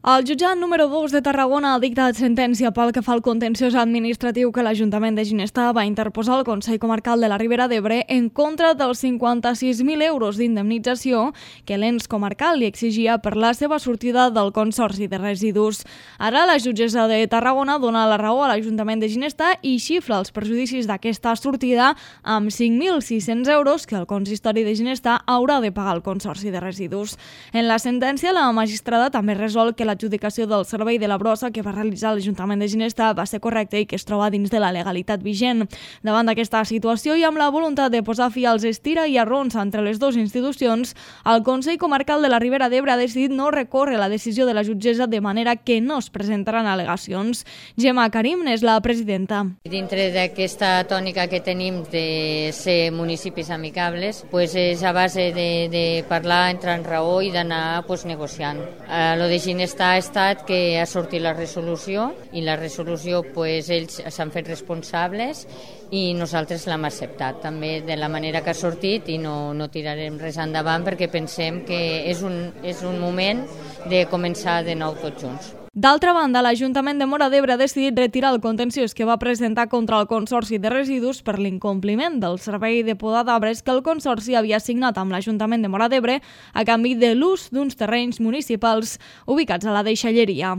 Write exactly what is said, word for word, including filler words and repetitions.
El jutjat número dos de Tarragona ha dictat sentència pel que fa al contenciós administratiu que l'Ajuntament de Ginestar va interposar al Consell Comarcal de la Ribera d'Ebre en contra dels cinquanta-sis mil euros d'indemnització que l'ens comarcal li exigia per la seva sortida del Consorci de Residus. Ara la jutgessa de Tarragona dona la raó a l'Ajuntament de Ginestar i xifra els perjudicis d'aquesta sortida amb cinc mil sis-cents euros que el consistori de Ginestar haurà de pagar al Consorci de Residus. En la sentència, la magistrada també resol que l'adjudicació del servei de la brossa que va realitzar l'Ajuntament de Ginestar va ser correcte i que es troba dins de la legalitat vigent. Davant d'aquesta situació i amb la voluntat de posar fi als estira i arrons entre les dues institucions, el Consell Comarcal de la Ribera d'Ebre ha decidit no recórrer la decisió de la jutgessa de manera que no es presentaran al·legacions. Gemma Karim és la presidenta. Dintre d'aquesta tònica que tenim de ser municipis amicables, pues és a base de, de parlar, entrar en raó i d'anar pues, negociant. Eh, lo de Ginestar ha estat que ha sortit la resolució i la resolució pues, ells s'han fet responsables i nosaltres l'hem acceptat també de la manera que ha sortit i no, no tirarem res endavant perquè pensem que és un, és un moment de començar de nou tots junts. D'altra banda, l'Ajuntament de Móra d'Ebre ha decidit retirar el contenciós que va presentar contra el Consorci de Residus per l'incompliment del servei de poda d'arbres que el Consorci havia signat amb l'Ajuntament de Móra d'Ebre a canvi de l'ús d'uns terrenys municipals ubicats a la deixalleria.